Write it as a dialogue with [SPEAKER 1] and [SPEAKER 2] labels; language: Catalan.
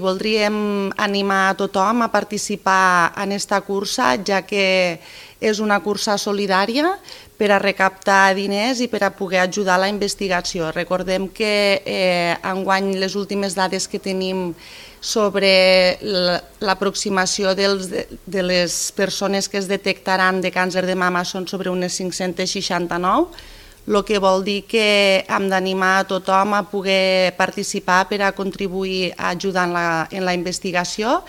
[SPEAKER 1] Voldríem animar a tothom a participar en aquesta cursa, ja que és una cursa solidària per a recaptar diners i per a poder ajudar a la investigació. Recordem que enguany les últimes dades que tenim sobre l'aproximació de les persones que es detectaran de càncer de mama són sobre unes 569, el que vol dir que hem d'animar a tothom a poder participar per a contribuir a ajudar en la investigació.